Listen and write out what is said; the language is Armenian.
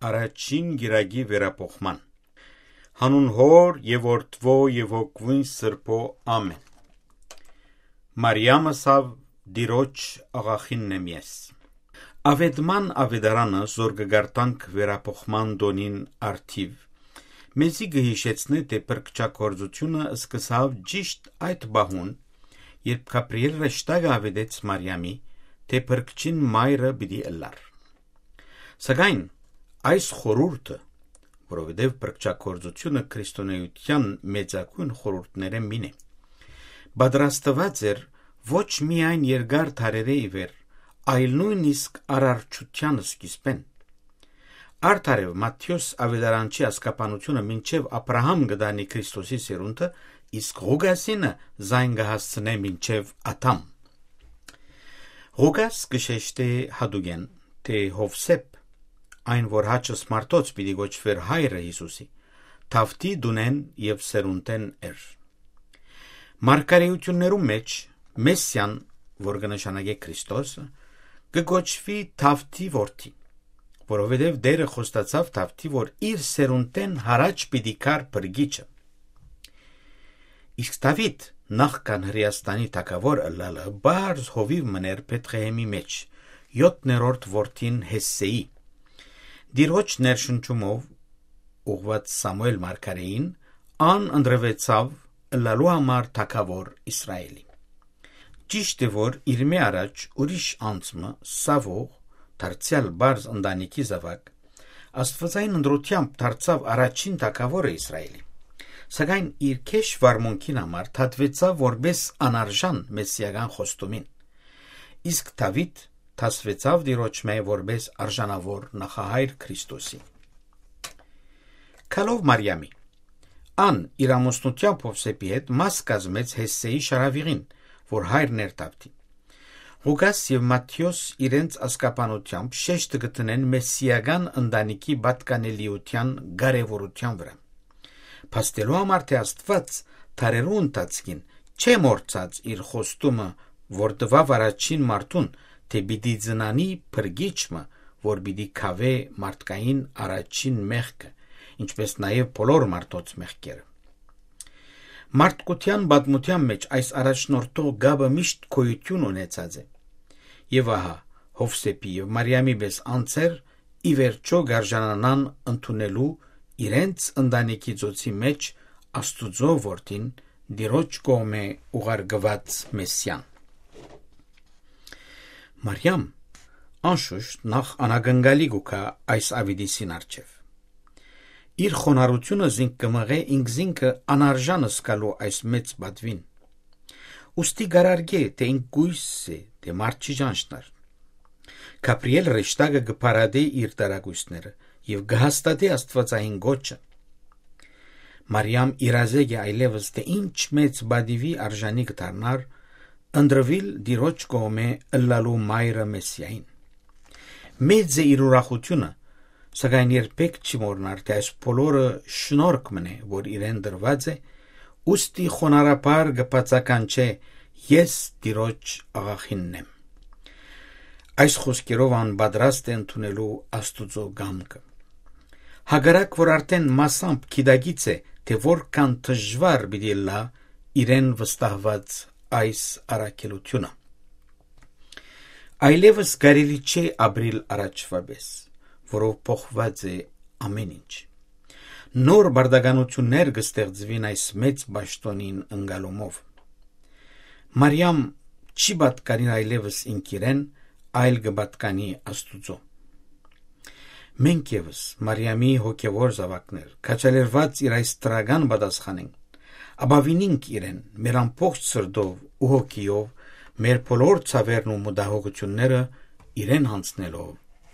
Առաջին գիրագի վերապոխման։ Հանուն Հոր եւ Որդվո եւ Հոգվուն Սրբո ամեն։ Մարիամը սավ դիրոջ աղախինն եմ ես։ Ավետման ավետարանը զորգգարտանք վերապոխման դոնին արդիվ մեզի գհիշեցնե թե պրկչակորձությունը սկսավ ճիշտ այդ բահուն, երբ Գաբրիել ռեշտագը ավետեց Մարիամի, թե պրկչին մայրը պիտի ըլլար։ Սակայն այս խորհուրդը, որովհետև պրկչակորձությունը քրիստոնեության մեծագույն խորհուրդները մին է, պատրաստված էր ոչ միայն երկար դարերի ի վեր, այլ նույնիսկ արարչության սկիզբեն։ Արդարև Մատթեոս ավետարանչի ասկապանությունը մինչև Աբրահամ գտանի Քրիստոսի սերունդը, իսկ Ղուգասինը զայն կհասցնե մինչև Ադամ։ Ղուգաս կշեշտե հադուգեն, թե Հովսեփ, այն որ հաճս մարդոց պիտի գոչվեր հայրը Հիսուսի, թավթի դունեն և սերունդեն էր։ Մարգարեություններում մեջ Մեսսիան, որ կնշանակե Քրիստոսը, կգոչվի թավթի որդի, որովհետև Տերը խոստացավ թավթի, որ իր սերունդեն հարաճ պիտի կար փրկիչը։ Իսկ Դավիթ նախքան Հրեաստանի թագավոր ըլլալը բարձ հովիվ մներ Բեթղեհեմի մեջ 7-րդ որդին Հեսսեի։ Դիրոջ ներշնչումով ուղված Սամուել մարգարեին ան ընտրվեցավ ըլլալու համար թագավոր Իսրայելի։ Ճիշտ է, որ իր մե առաջ ուրիշ անձը Սավող դարձյալ բարձ ընտանիքի զավակ աստվածային ընտրությամբ դարձավ առաջին թագավորը Իսրայելի, սակայն իր քեշ վարմունքին համար թատվեցավ որպես անարժան մեսիական խոստումին, իսկ Դավիթ թասվեցավ դիրոջ մե որպես արժանավոր նախահայր Քրիստոսի։ Քալով Մարիամի ան իր ամուսնությամբ Հովսեփի հետ մաս կազմեց Հեսսեի շարավիղին, որ հայրն էր Դավթի։ Ղուգաս և Մատթեոս իրենց ասկապանությամբ շեշտը գտնեն մեսիական ընտանիքի պատկանելիության կարևորության վրա, փաստելու համար թե Աստված դարերու ընթացքին չէ մոռացած իր խոստումը, որ տվավ առաջին մարդուն, թե պիտի ծնանի փրկիչը, որ պիտի քավե մարդկային առաջին մեղքը, ինչպես նաև բոլոր մարդոց մեղքերը։ Մարդկության պատմության մեջ այս առաջնորդող գաբը միշտ գոյություն ունեցած է, եւ ահա Հովսեփի եւ Մարիամի պես անձեր ի վերջո գարժանանան ընդունելու իրենց ընտանիքի ծոցի մեջ Աստուծո որդին դիրոջ կողմէ ուղարկված Մեսսիան։ Մարիամ անշուշտ նախ անագնգալի գուքա այս ավիդիսին արջև։ Իր խոնարհությունը զինք կմղե ինքզինքը անարժան սկալու այս մեծ բադվին։ Ուստի գարարգե, թե ինք գույս է, թե մարդ չի ճանչնար։ Գաբրիել ռեշտագը գպարադե իր տարագույսները և գհաստատե աստվածային գոչը։ Մարիամ իրազեգ է այլևս, թե ինչ մեծ բադիվի արժանի կդառնար ընդրվիլ դիրոջ կողմէ ըլլալու մայրը Մեսիային։ Մեծ է իր ուրախությունը, սակայն երբեք չի մոռնար, թե այս բոլորը շնորհք մնե, որ իրեն դրված է, ուստի խոնարհաբար գբացականչե ես դիրոջ աղախինն եմ։ Այս խոսքերով ան պատրաստ է ընդունելու Աստուծո գամքը։ Հակառակ որ արդեն մասամբ գիտագից է, թե որքան դժվար պիտի լա իրեն վստահված այս առաքելությունը։ Այլևս կարելի չէ ապրիլ առաջվա պես, որով փոխված է ամեն ինչ։ Նոր բարդականություններ կստեղծվին այս մեծ պաշտոնին ընկալումով։ Մարիամ չի պատկանի այլևս ինքիրեն, այլ կպատկանի Աստուծո։ Մենք ևս Մարիամի հոգևոր զավակներ, քաջալերված իր այս տրական պատասխանենք, ապավինենք իրեն մեր ամբողջ սրտով ու հոգիով, մեր բոլոր ցավերն ու մտահոգությունները իրեն հանձնելով